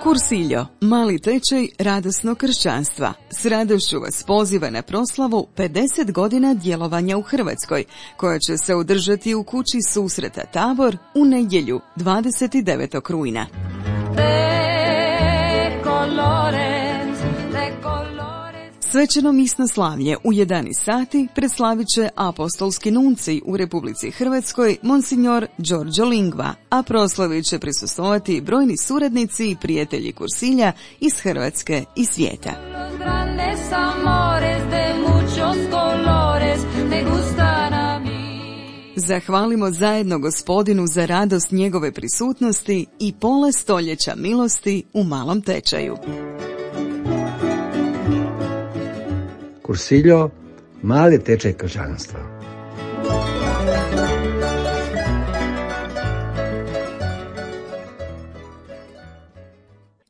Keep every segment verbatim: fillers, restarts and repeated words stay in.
Kursiljo, mali tečaj radosnog kršćanstva. S radošću vas poziva na proslavu pedeset godina djelovanja u Hrvatskoj, koja će se održati u kući susreta Tabor u nedjelju dvadeset devetog rujna. Svečano misno slavlje u jedanaest sati preslavit će apostolski nuncij u Republici Hrvatskoj Monsignor Giorgio Lingua, a proslavi će prisustvovati brojni suradnici i prijatelji Kursilja iz Hrvatske i svijeta. Zahvalimo zajedno Gospodinu za radost njegove prisutnosti i pola stoljeća milosti u malom tečaju. Kursiljo, mali tečaj kršćanstva.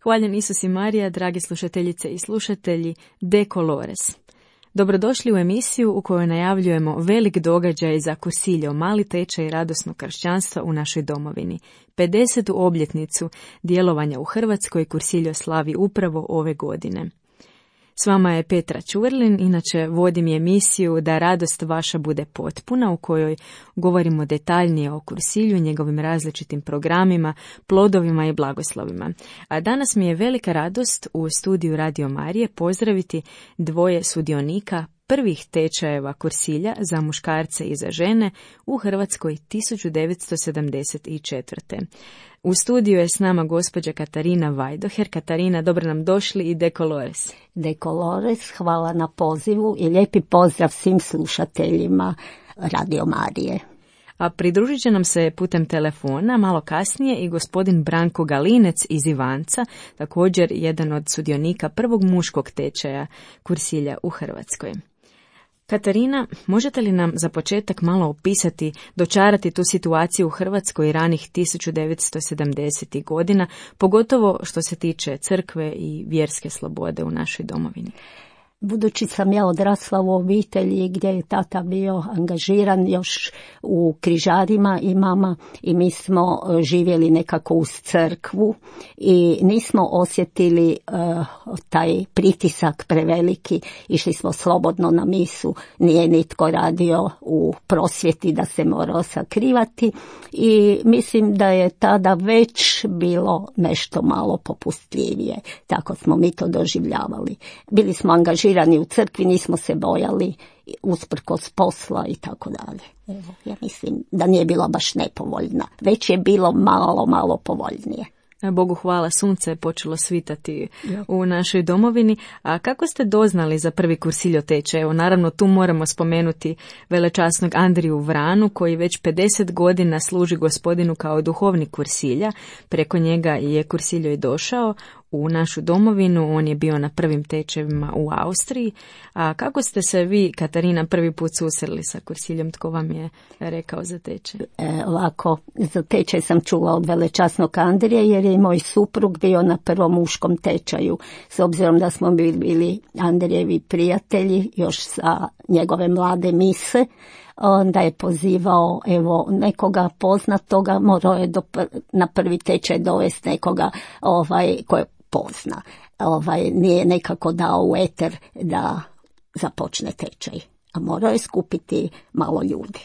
Hvaljen Isus i Marija, dragi slušateljice i slušatelji, De Colores. Dobrodošli u emisiju u kojoj najavljujemo velik događaj za Kursiljo, mali tečaj radosnog kršćanstva u našoj domovini. pedesetu obljetnicu djelovanja u Hrvatskoj Kursiljo slavi upravo ove godine. S vama je Petra Čurlin, inače vodim emisiju Da radost vaša bude potpuna, u kojoj govorimo detaljnije o Kursilju, njegovim različitim programima, plodovima i blagoslovima. A danas mi je velika radost u studiju Radio Marije pozdraviti dvoje sudionika prvih tečajeva Kursilja za muškarce i za žene u Hrvatskoj tisuću devetsto sedamdeset četvrte. U studiju je s nama gospođa Katarina Vajdoher. Katarina, dobro nam došli i De Colores. De Colores, hvala na pozivu i lijepi pozdrav svim slušateljima Radio Marije. A pridružit će nam se putem telefona malo kasnije i gospodin Branko Galinec iz Ivanca, također jedan od sudionika prvog muškog tečaja Kursilja u Hrvatskoj. Katarina, možete li nam za početak malo opisati, dočarati tu situaciju u Hrvatskoj ranih tisuću devetsto sedamdesetih godina, pogotovo što se tiče crkve i vjerske slobode u našoj domovini? Budući sam ja odrasla u obitelji gdje je tata bio angažiran još u križarima i mama, i mi smo živjeli nekako uz crkvu i nismo osjetili uh, taj pritisak preveliki, išli smo slobodno na misu, nije nitko radio u prosvjeti da se morao sakrivati i mislim da je tada već bilo nešto malo popustljivije, tako smo mi to doživljavali. Bili smo angažirani u crkvi, nismo se bojali usprkos posla i tako dalje. Evo, ja mislim da nije bila baš nepovoljna, već je bilo malo, malo povoljnije. Bogu hvala, sunce je počelo svitati u našoj domovini. A kako ste doznali za prvi Kursiljo tečaj? Evo, naravno, tu moramo spomenuti velečasnog Andriju Vranu, koji već pedeset godina služi Gospodinu kao duhovnik Kursilja. Preko njega je Kursiljo i došao u našu domovinu, on je bio na prvim tečajevima u Austriji. A kako ste se vi, Katarina, prvi put susreli sa Kursiljom? Tko vam je rekao za tečaj? E, ovako, za tečaj sam čula od velečasnog Andrija, jer je moj suprug bio na prvom muškom tečaju. S obzirom da smo bili, bili Andrijevi prijatelji još sa njegove mlade mise, onda je pozivao evo nekoga poznatoga, morao je do, na prvi tečaj dovesti nekoga ovaj, koje pozna. Ovaj, nije nekako dao u eter da započne tečaj, a morao je skupiti malo ljudi.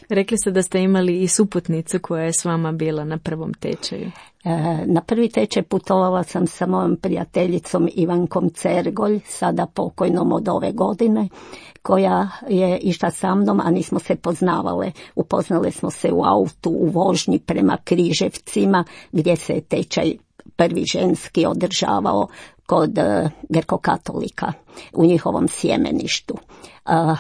Rekli ste da ste imali i suputnicu koja je s vama bila na prvom tečaju. E, na prvi tečaj putovala sam sa mojom prijateljicom Ivankom Cergolj, sada pokojnom od ove godine, koja je išla sa mnom, a nismo se poznavale. Upoznale smo se u autu u vožnji prema Križevcima, gdje se je tečaj prvi ženski održavao kod uh, grkokatolika u njihovom sjemeništu. Uh,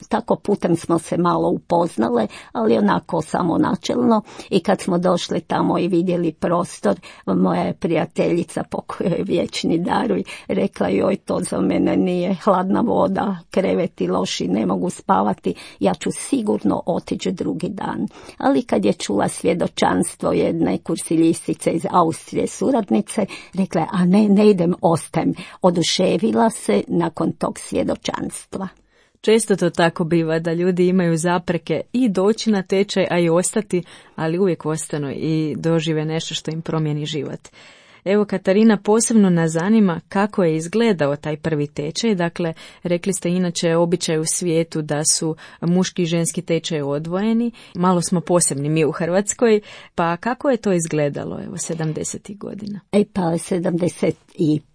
tako putem smo se malo upoznale, ali onako samo načelno, i kad smo došli tamo i vidjeli prostor, moja je prijateljica, pokojoj vječni daruj, rekla joj, to za mene nije, hladna voda, kreveti loši, ne mogu spavati, ja ću sigurno otići drugi dan. Ali kad je čula svjedočanstvo jedne kursiljistice iz Austrije, suradnice, rekla je, a ne, ne idem, ostajem. Oduševila se nakon tog svjedočanstva. Često to tako biva, da ljudi imaju zapreke i doći na tečaj, a i ostati, ali uvijek ostanu i dožive nešto što im promijeni život. Evo, Katarina, posebno nas zanima kako je izgledao taj prvi tečaj. Dakle, rekli ste inače običaj u svijetu da su muški i ženski tečaj odvojeni. Malo smo posebni mi u Hrvatskoj, pa kako je to izgledalo, evo, sedamdesetih godina? E pa, sedamdeset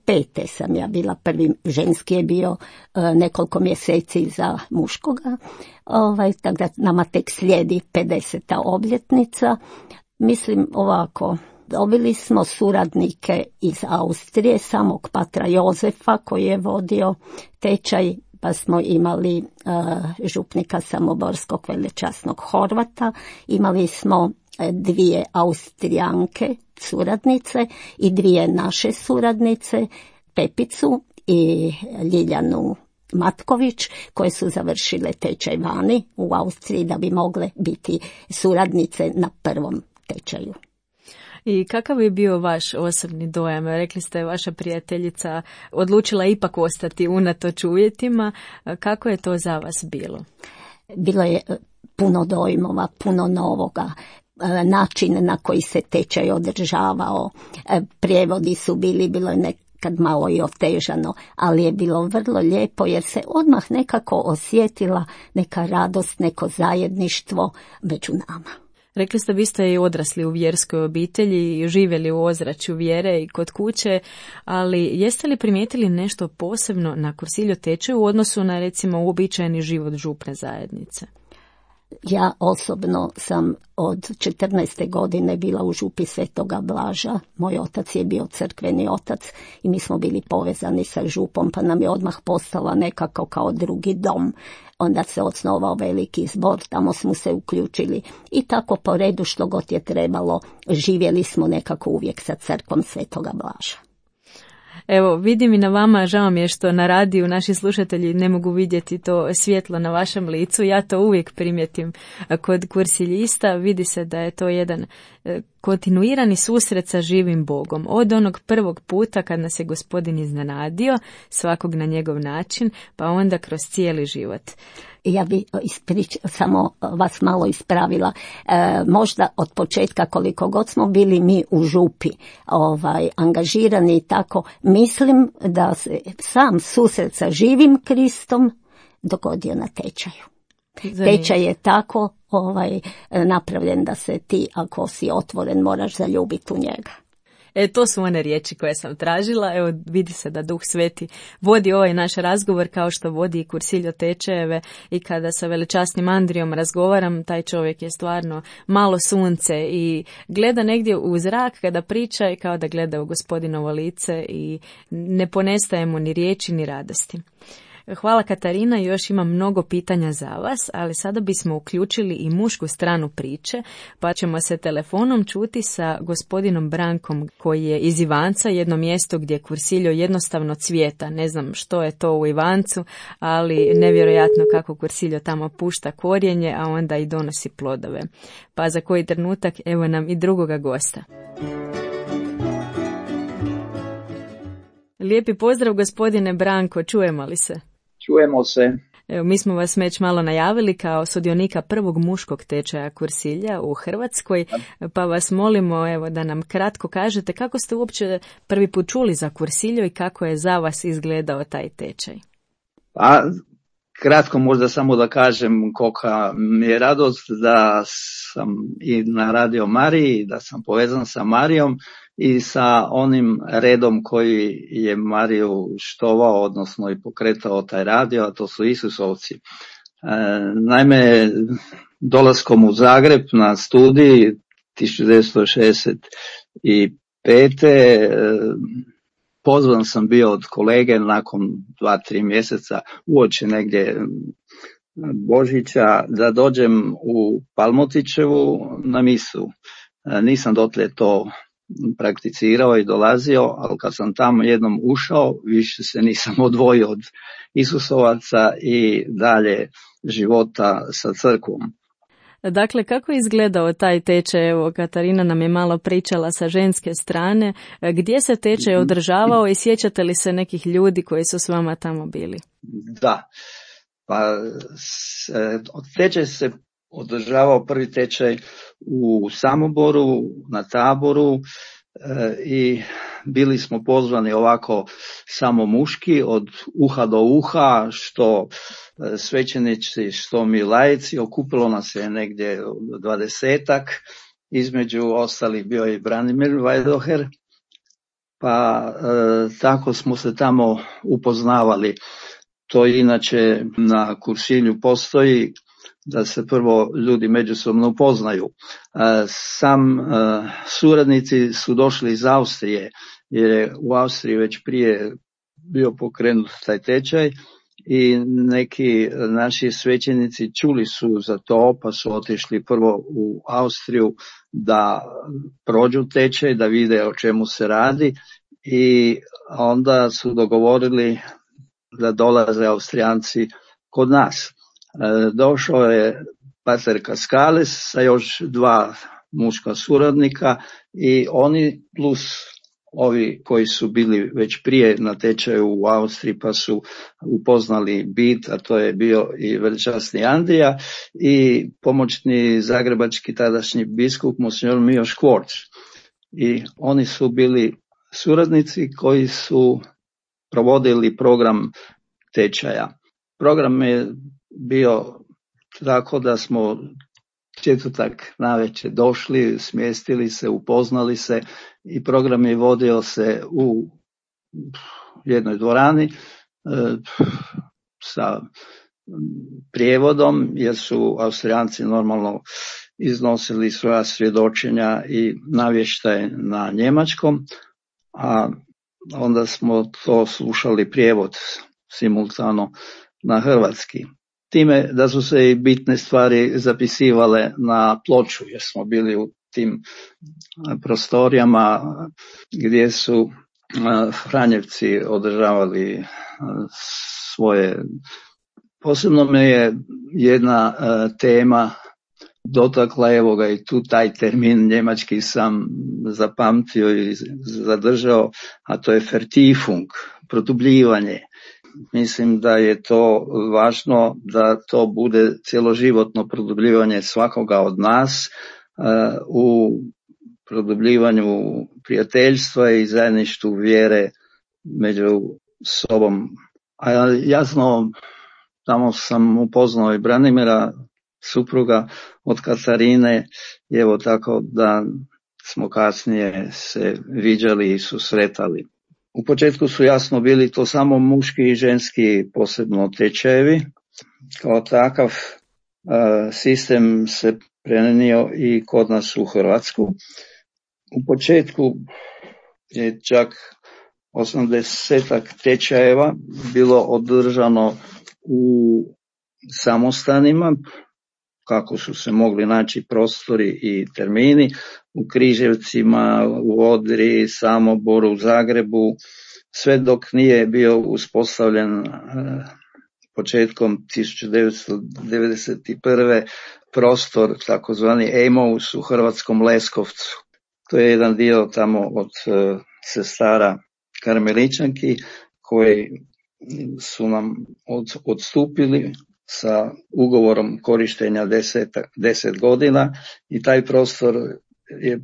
pete sam ja bila, prvi ženski je bio e, nekoliko mjeseci za muškoga, ovaj, tako da nama tek slijedi pedeseta obljetnica. Mislim ovako, dobili smo suradnike iz Austrije, samog patra Jozefa koji je vodio tečaj, pa smo imali uh, župnika samoborskog velečasnog Horvata, imali smo dvije Austrijanke suradnice i dvije naše suradnice, Pepicu i Ljiljanu Matković, koje su završile tečaj vani u Austriji da bi mogle biti suradnice na prvom tečaju. I kakav je bio vaš osobni dojam? Rekli ste, vaša prijateljica odlučila ipak ostati unatoč uvjetima. Kako je to za vas bilo? Bilo je puno dojmova, puno novoga. Način na koji se tečaj održavao, prijevodi su bili, bilo je nekad malo i otežano, ali je bilo vrlo lijepo jer se odmah nekako osjetila neka radost, neko zajedništvo među nama. Rekli ste, vi ste i odrasli u vjerskoj obitelji i živjeli u ozračju vjere i kod kuće, ali jeste li primijetili nešto posebno na Cursillo tečaju u odnosu na, recimo, uobičajeni život župne zajednice? Ja osobno sam od četrnaeste godine bila u župi Svetoga Blaža. Moj otac je bio crkveni otac i mi smo bili povezani sa župom, pa nam je odmah postala nekako kao drugi dom. Onda se osnovao veliki zbor, tamo smo se uključili i tako po redu što god je trebalo, živjeli smo nekako uvijek sa crkvom Svetoga Blaža. Evo, vidim i na vama, žao mi je što na radiju naši slušatelji ne mogu vidjeti to svjetlo na vašem licu. Ja to uvijek primjetim kod kursiljista. Vidi se da je to jedan kontinuirani susret sa živim Bogom. Od onog prvog puta kad nas je Gospodin iznenadio, svakog na njegov način, pa onda kroz cijeli život. Ja bi isprič, samo vas malo ispravila. E, možda od početka koliko god smo bili mi u župi ovaj, angažirani i tako, mislim da se sam susret sa živim Kristom dogodio na tečaju. Zanimljivo. Tečaj je tako ovaj, napravljen da se ti, ako si otvoren, moraš zaljubiti u njega. E, to su one riječi koje sam tražila. Evo, vidi se da Duh Sveti vodi ovaj naš razgovor kao što vodi i Cursillo tečajeve, i kada sa velečasnim Andrijom razgovaram, taj čovjek je stvarno malo sunce i gleda negdje u zrak kada priča i kao da gleda u Gospodinovo lice i ne ponestaje mu ni riječi ni radosti. Hvala, Katarina, još imam mnogo pitanja za vas, ali sada bismo uključili i mušku stranu priče, pa ćemo se telefonom čuti sa gospodinom Brankom, koji je iz Ivanca, jedno mjesto gdje Cursillo jednostavno cvijeta. Ne znam što je to u Ivancu, ali nevjerojatno kako Cursillo tamo pušta korijenje, a onda i donosi plodove. Pa za koji trenutak evo nam i drugoga gosta. Lijepi pozdrav, gospodine Branko, čujemo li se? Čujemo se. Evo, mi smo vas već malo najavili kao sudionika prvog muškog tečaja Cursillia u Hrvatskoj, pa vas molimo evo da nam kratko kažete kako ste uopće prvi put čuli za Cursillo i kako je za vas izgledao taj tečaj. Pa, kratko možda samo da kažem kolika mi je radost da sam i na Radio Mariji, da sam povezan sa Marijom i sa onim redom koji je Mariju štovao, odnosno i pokretao taj radio, a to su Isusovci. E, naime, dolaskom u Zagreb na studij tisuću devetsto šezdeset pete. E, pozvan sam bio od kolege nakon dva, tri mjeseca uoči negdje Božića da dođem u Palmotićevu na misu. E, nisam dotle to prakticirao i dolazio, ali kad sam tamo jednom ušao, više se nisam odvojio od Isusovaca i dalje života sa crkvom. Dakle, kako je izgledao taj tečaj? Evo, Katarina nam je malo pričala sa ženske strane. Gdje se tečaj održavao i sjećate li se nekih ljudi koji su s vama tamo bili? Da, pa tečaj se održavao prvi tečaj u Samoboru, na Taboru, i bili smo pozvani ovako samo muški od uha do uha, što svećenici, što mi laici. Okupilo nas je negdje dvadesetak, između ostalih bio je i Branimir Vajdoher, pa e, tako smo se tamo upoznavali. To inače na Kuršilju postoji, da se prvo ljudi međusobno upoznaju. Sam suradnici su došli iz Austrije, jer je u Austriji već prije bio pokrenut taj tečaj i neki naši svećenici čuli su za to, pa su otišli prvo u Austriju da prođu tečaj, da vide o čemu se radi, i onda su dogovorili da dolaze Austrijanci kod nas. Došao je pater Kaskales sa još dva muška suradnika i oni plus ovi koji su bili već prije na tečaju u Austriji pa su upoznali bit, a to je bio i velečasni Andrija i pomoćni zagrebački tadašnji biskup monsignor Mijoš Kvorc. I oni su bili suradnici koji su provodili program tečaja. Program je bio tako da smo četvrtak navečer došli, smjestili se, upoznali se i program je vodio se u jednoj dvorani e, sa prijevodom, jer su Austrijanci normalno iznosili svoja svjedočenja i navještaj na njemačkom, a onda smo to slušali prijevod simultano na hrvatski. Time da su se i bitne stvari zapisivale na ploču, jer smo bili u tim prostorijama gdje su Franjevci održavali svoje. Posebno me je jedna tema dotakla, evo ga i tu taj termin njemački sam zapamtio i zadržao, a to je Vertiefung, produbljivanje. Mislim da je to važno da to bude cjeloživotno produbljivanje svakoga od nas uh, u produbljivanju prijateljstva i zajedništvu vjere među sobom. A jasno, tamo sam upoznao i Branimira, supruga od Katarine, i evo tako da smo kasnije se viđali i susretali. U početku su jasno bili to samo muški i ženski posebno tečajevi. Kao takav uh, sistem se prenio i kod nas u Hrvatsku. U početku je čak osamdesetak tečajeva bilo održano u samostanima, kako su se mogli naći prostori i termini, u Križevcima, u Odri, Samoboru, u Zagrebu, sve dok nije bio uspostavljen uh, početkom tisuću devetsto devedeset prve prostor takozvani Emaus u hrvatskom Leskovcu. To je jedan dio tamo od uh, sestara Karmeličanki koji su nam od, odstupili sa ugovorom korištenja deset, deset godina i taj prostor je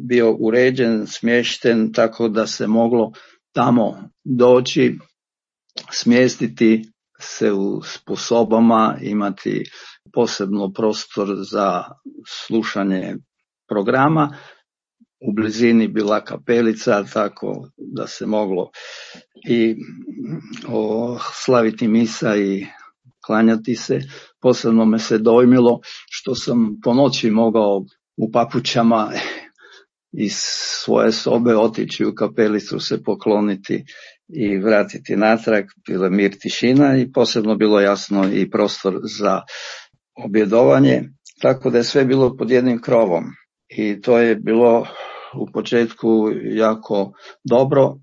bio uređen, smješten tako da se moglo tamo doći, smjestiti se u sposobama, imati posebno prostor za slušanje programa. U blizini bila kapelica, tako da se moglo i o, slaviti misa i klanjati se. Posebno me se dojmilo što sam po noći mogao u papučama iz svoje sobe otići u kapelicu, se pokloniti i vratiti natrag. Bila mir, tišina i posebno bilo jasno i prostor za objedovanje, tako da je sve bilo pod jednim krovom. I to je bilo u početku jako dobro,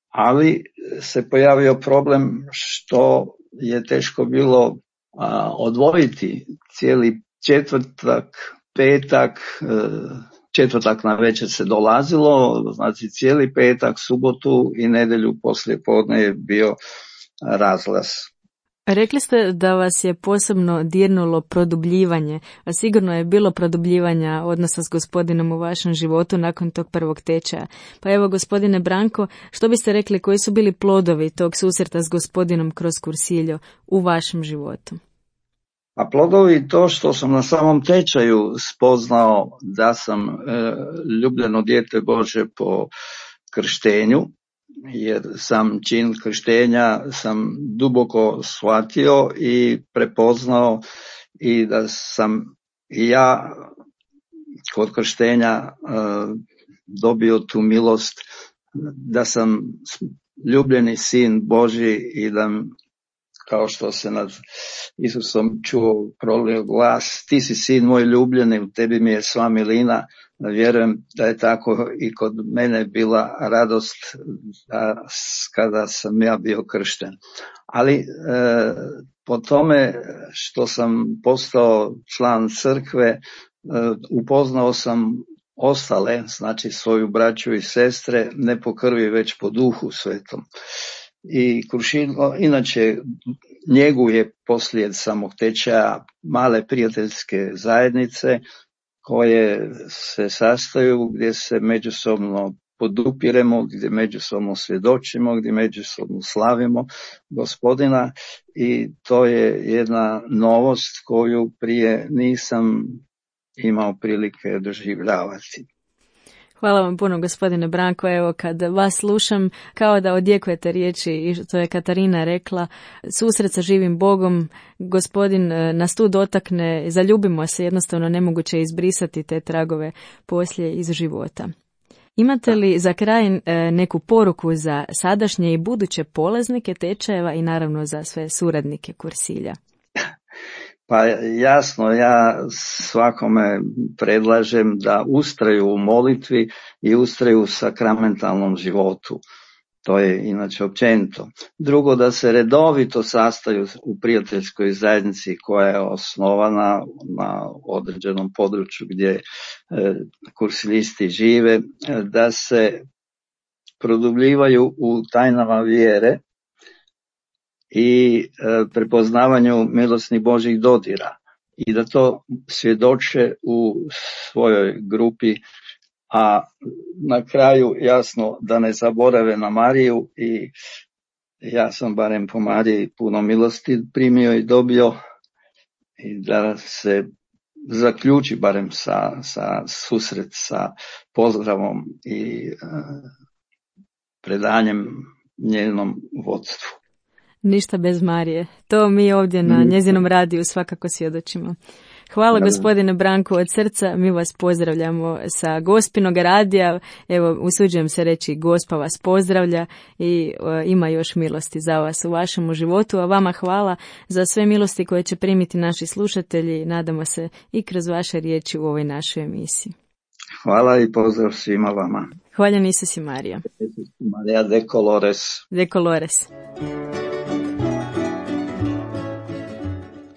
ali se pojavio problem što je teško bilo a, odvojiti cijeli četvrtak, petak, e, četvrtak na večer se dolazilo, znači cijeli petak, subotu i nedjelju poslije podne je bio razlaz. Rekli ste da vas je posebno dirnulo produbljivanje, a sigurno je bilo produbljivanja odnosa s Gospodinom u vašem životu nakon tog prvog tečaja. Pa evo, gospodine Branko, što biste rekli, koji su bili plodovi tog susreta s Gospodinom kroz Cursillo u vašem životu? A plodovi to što sam na samom tečaju spoznao da sam e, ljubljeno dijete Bože po krštenju, jer sam čin krštenja sam duboko shvatio i prepoznao i da sam i ja kod krštenja uh, dobio tu milost da sam ljubljeni sin Božji i da, kao što se nad Isusom čuo, prolio glas, ti si sin moj ljubljeni, u tebi mi je sva milina. Vjerujem da je tako i kod mene bila radost da, kada sam ja bio kršten. Ali e, po tome što sam postao član crkve, e, upoznao sam ostale, znači svoju braću i sestre, ne po krvi već po duhu svetom. I Cursillo inače njeguje poslije samog tečaja male prijateljske zajednice koje se sastaju, gdje se međusobno podupiremo, gdje međusobno svjedočimo, gdje međusobno slavimo Gospodina, i to je jedna novost koju prije nisam imao prilike doživljavati. Hvala vam puno, gospodine Branko. Evo, kad vas slušam, kao da odjekujete riječi, i to je Katarina rekla, susret sa živim Bogom, Gospodin nas tu dotakne, zaljubimo se, jednostavno nemoguće izbrisati te tragove poslije iz života. Imate li za kraj neku poruku za sadašnje i buduće polaznike tečajeva i naravno za sve suradnike Cursilja? Pa jasno, ja svakome predlažem da ustraju u molitvi i ustraju u sakramentalnom životu. To je inače općenito. Drugo, da se redovito sastaju u prijateljskoj zajednici koja je osnovana na određenom području gdje e, kursilisti žive, da se produbljivaju u tajnama vjere i e, prepoznavanju milosnih Božjih dodira i da to svjedoče u svojoj grupi, a na kraju jasno da ne zaborave na Mariju, i ja sam barem po Mariji puno milosti primio i dobio, i da se zaključi barem sa, sa susret sa pozdravom i e, predanjem njenom vodstvu. Ništa bez Marije. To mi ovdje na njezinom radiju svakako svjedočimo. Hvala gospodine Branko od srca, mi vas pozdravljamo sa Gospinog radija, evo usuđujem se reći Gospa vas pozdravlja i e, ima još milosti za vas u vašem životu, a vama hvala za sve milosti koje će primiti naši slušatelji, nadamo se i kroz vaše riječi u ovoj našoj emisiji. Hvala i pozdrav svima vama. Hvaljen Isus i Marija. Marija de Colores. De Colores.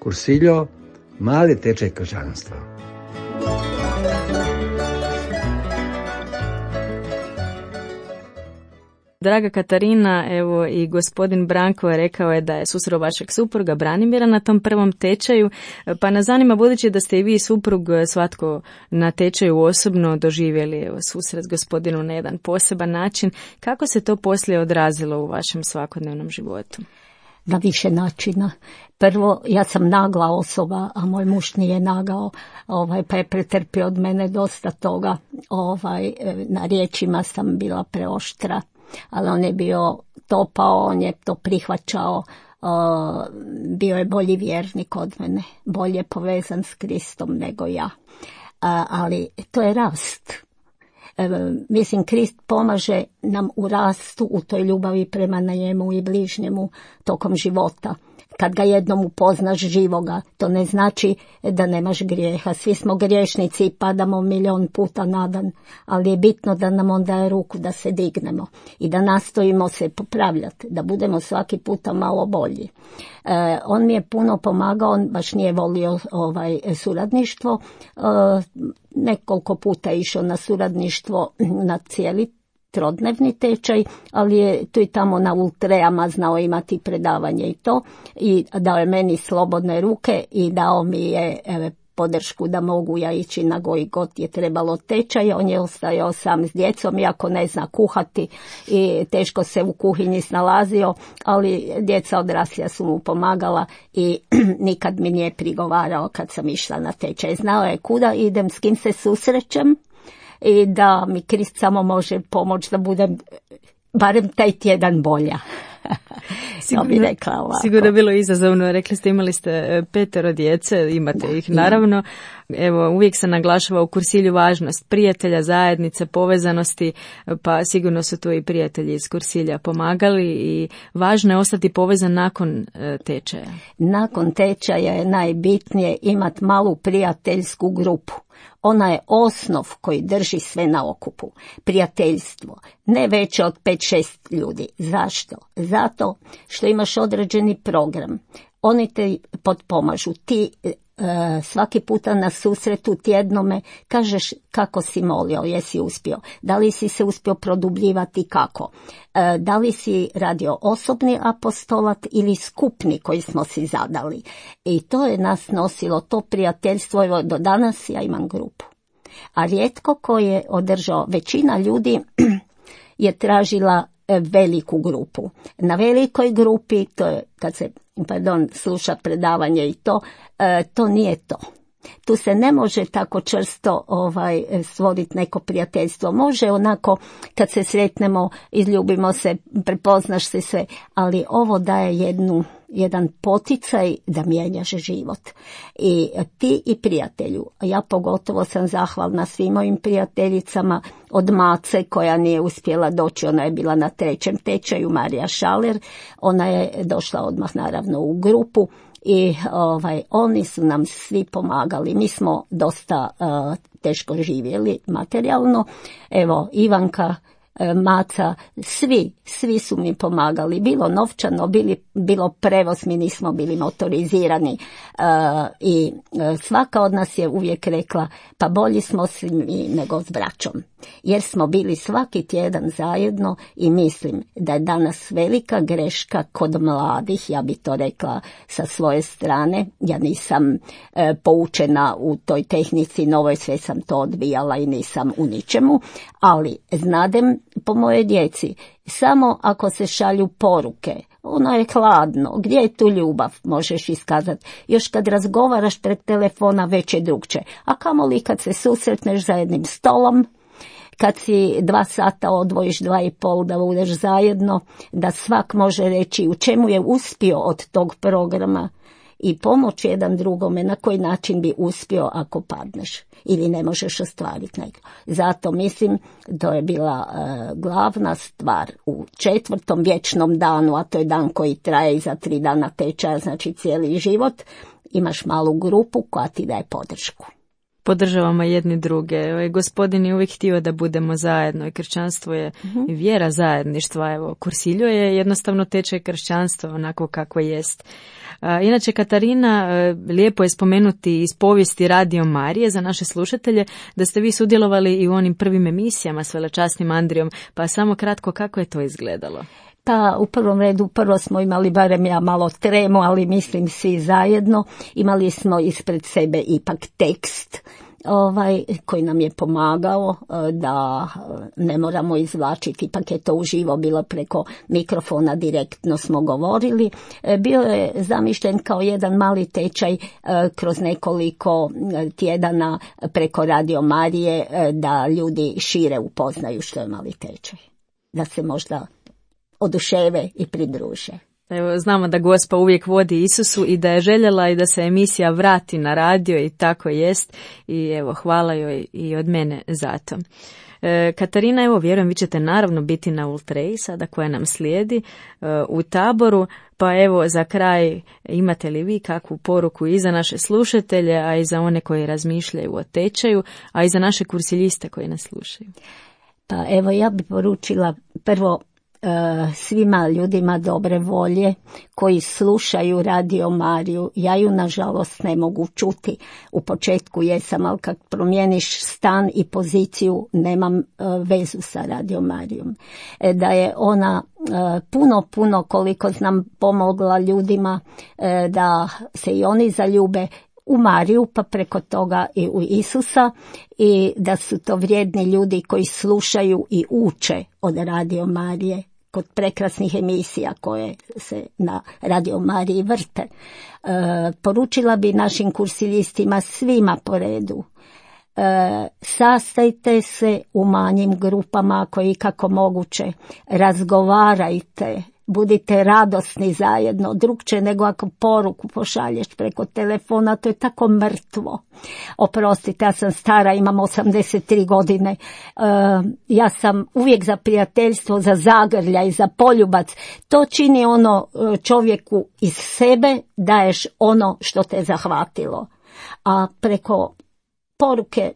Cursillo, mali tečaj kršćanstva. Draga Katarina, evo i gospodin Branko je rekao je da je susreo vašeg supruga Branimira na tom prvom tečaju, pa nas zanima, budući da ste i vi suprug svatko na tečaju osobno doživjeli evo, susret s gospodinom na jedan poseban način, kako se to poslije odrazilo u vašem svakodnevnom životu? Na više načina. Prvo, ja sam nagla osoba, a moj muž nije nagao, ovaj, pa je pretrpio od mene dosta toga. Ovaj, na riječima sam bila preoštra, ali on je bio topao, on je to prihvaćao, uh, bio je bolji vjernik od mene, bolje povezan s Kristom nego ja. Uh, ali to je rast. E, mislim, Krist pomaže nam u rastu u toj ljubavi prema njemu i bližnjemu tokom života. Kad ga jednom upoznaš živoga, to ne znači da nemaš grijeha. Svi smo griješnici i padamo milion puta na dan, ali je bitno da nam on daje ruku da se dignemo i da nastojimo se popravljati, da budemo svaki puta malo bolji. E, on mi je puno pomagao, on baš nije volio ovaj suradništvo. E, nekoliko puta je išao na suradništvo na cijeli trodnevni tečaj, ali je tu i tamo na ultreama znao imati predavanje i to, i dao je meni slobodne ruke i dao mi je evo, podršku da mogu ja ići na koji god je trebalo tečaj. On je ostajao sam s djecom, iako ne zna kuhati i teško se u kuhinji snalazio, ali djeca odraslija su mu pomagala i nikad mi nije prigovarao kad sam išla na tečaj. Znao je kuda idem, s kim se susrećem i da mi Krist samo može pomoći da budem barem taj tjedan bolja. Sigurno, bi rekla sigurno je bilo izazovno. Rekli ste, imali ste petero djece, imate da, ih naravno. Evo, uvijek se naglašava u kursilju važnost prijatelja, zajednice, povezanosti, pa sigurno su tu i prijatelji iz kursilja pomagali i važno je ostati povezan nakon tečaja. Nakon tečaja je najbitnije imati malu prijateljsku grupu. Ona je osnov koji drži sve na okupu. Prijateljstvo, ne veće od pet šest ljudi. Zašto? Zato što imaš određeni program. Oni te potpomažu. Ti e, svaki puta na susretu tjednome kažeš kako si molio, jesi uspio. Da li si se uspio produbljivati kako? E, da li si radio osobni apostolat ili skupni koji smo si zadali. I to je nas nosilo, to prijateljstvo. Evo, do danas ja imam grupu. A rijetko ko je održao, većina ljudi je tražila veliku grupu. Na velikoj grupi, to je kad se pardon, sluša predavanje i to, to nije to. Tu se ne može tako čvrsto ovaj, stvoriti neko prijateljstvo. Može onako kad se sretnemo, izljubimo se, prepoznaš se sve, ali ovo daje jednu, jedan poticaj da mijenjaš život. I ti i prijatelju, ja pogotovo sam zahvalna svim mojim prijateljicama, od Mace koja nije uspjela doći, ona je bila na trećem tečaju, Marija Šaler, ona je došla odmah naravno u grupu. I ovaj, oni su nam svi pomagali. Mi smo dosta uh, teško živjeli materijalno. Evo, Ivanka, Maca, svi, svi su mi pomagali. Bilo novčano, bili, bilo prevoz, mi nismo bili motorizirani. Uh, I uh, svaka od nas je uvijek rekla, pa bolji smo svi nego s braćom. Jer smo bili svaki tjedan zajedno i mislim da je danas velika greška kod mladih, ja bi to rekla sa svoje strane. Ja nisam e, poučena u toj tehnici novoj, sve sam to odbijala i nisam u ničemu, ali znadem po moje djeci, samo ako se šalju poruke, ono je hladno, gdje je tu ljubav, možeš iskazati. Još kad razgovaraš pred telefona već je drugče, a kamoli kad se susretneš za jednim stolom, kad si dva sata odvojiš, dva i pol da budeš zajedno, da svak može reći u čemu je uspio od tog programa i pomoći jedan drugome, na koji način bi uspio ako padneš ili ne možeš ostvariti nego. Zato mislim to je bila uh, glavna stvar u četvrtom vječnom danu, a to je dan koji traje za tri dana tečaja, znači cijeli život, imaš malu grupu koja ti daje podršku. Podržavamo jedni druge. Gospodin je uvijek htio da budemo zajedno i kršćanstvo je uh-huh. vjera zajedništva. Evo, kursiljo je jednostavno tečaj kršćanstva onako kako jest. A, inače, Katarina, lijepo je spomenuti iz povijesti Radio Marije za naše slušatelje da ste vi sudjelovali i u onim prvim emisijama s velečasnim Andrijom, pa samo kratko kako je to izgledalo? Pa u prvom redu, prvo smo imali, barem ja malo tremu, ali mislim svi zajedno, imali smo ispred sebe ipak tekst ovaj, koji nam je pomagao da ne moramo izvlačiti, ipak je to uživo bilo preko mikrofona, direktno smo govorili. Bio je zamišljen kao jedan mali tečaj kroz nekoliko tjedana preko Radio Marije da ljudi šire upoznaju što je mali tečaj, da se možda oduševe i pridruže. Evo, znamo da Gospa uvijek vodi Isusu i da je željela i da se emisija vrati na radio i tako jest i evo hvala joj i od mene za to. E, Katarina, evo vjerujem vi ćete naravno biti na Ultreji sada koja nam slijedi e, u Taboru, pa evo za kraj imate li vi kakvu poruku i za naše slušatelje, a i za one koji razmišljaju o tečaju, a i za naše kursiljiste koji nas slušaju? Pa evo ja bi poručila prvo svima ljudima dobre volje koji slušaju Radio Mariju. Ja ju nažalost ne mogu čuti. U početku jesam, ali kad promijeniš stan i poziciju nemam vezu sa Radio Marijom. Da je ona puno, puno koliko znam pomogla ljudima da se i oni zaljube u Mariju, pa preko toga i u Isusa, i da su to vrijedni ljudi koji slušaju i uče od Radio Marije kod prekrasnih emisija koje se na Radio Mariji vrte. E, poručila bi našim kursilistima svima po redu. E, sastajte se u manjim grupama ako je ikako moguće, razgovarajte, budite radosni zajedno, drugče nego ako poruku pošalješ preko telefona, to je tako mrtvo. Oprostite, ja sam stara, imam osamdeset tri godine, e, ja sam uvijek za prijateljstvo, za zagrljaj, za poljubac. To čini ono čovjeku iz sebe, daješ ono što te zahvatilo. A preko poruke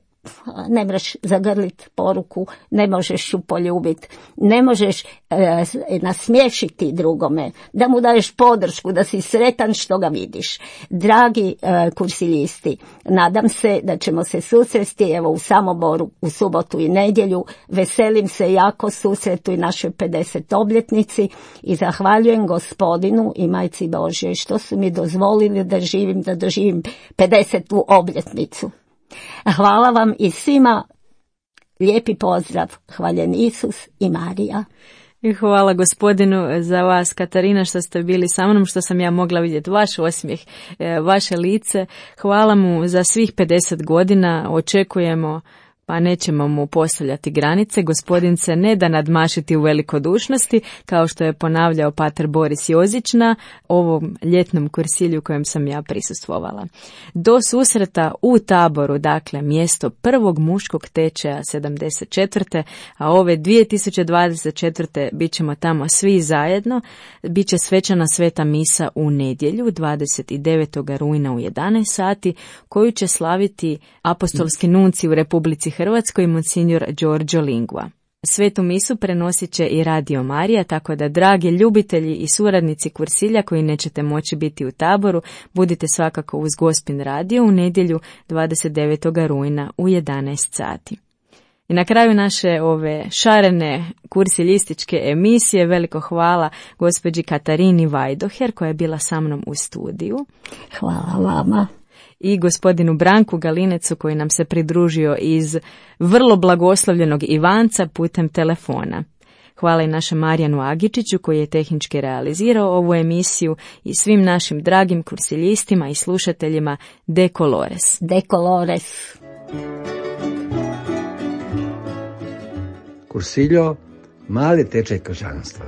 ne možeš zagrlit poruku, ne možeš ju poljubiti, ne možeš e, nasmiješiti drugome, da mu daješ podršku, da si sretan što ga vidiš. Dragi e, kursilisti, nadam se da ćemo se susresti evo u Samoboru u subotu i nedjelju. Veselim se jako susretu i našoj pedeset obljetnici i zahvaljujem Gospodinu i Majci Božjoj što su mi dozvolili da živim, da doživim pedesetu obljetnicu. Hvala vam i svima, lijepi pozdrav, hvaljen Isus i Marija. I hvala Gospodinu za vas, Katarina, što ste bili sa mnom, što sam ja mogla vidjeti vaš osmijeh, vaše lice. Hvala mu za svih pedeset godina, očekujemo, pa nećemo mu postavljati granice. Gospodin se ne da nadmašiti u velikodušnosti, kao što je ponavljao pater Boris Jozić na ovom ljetnom kursilju kojem sam ja prisustvovala. Do susreta u Taboru, dakle mjesto prvog muškog tečaja sedamdeset četvrte. a ove dvije tisuće dvadeset četvrte bit ćemo tamo svi zajedno. Biće svečana sveta misa u nedjelju dvadeset devetog rujna u jedanaest sati, koju će slaviti apostolski nunci u Republici Hrvatskoj, monsignor Giorgio Lingua. Svetu misu prenosit će i Radio Marija, tako da, dragi ljubitelji i suradnici kursilja koji nećete moći biti u Taboru, budite svakako uz Gospin radio u nedjelju dvadeset devetog rujna u jedanaest sati. I na kraju naše ove šarene kursilističke emisije veliko hvala gospođi Katarini Vajdoher koja je bila sa mnom u studiju. Hvala vama. I gospodinu Branku Galinecu koji nam se pridružio iz vrlo blagoslovljenog Ivanca putem telefona. Hvala i našem Marijanu Agičiću koji je tehnički realizirao ovu emisiju i svim našim dragim kursiljistima i slušateljima De Colores. De Colores. Kursiljo, mali tečaj kršćanstva.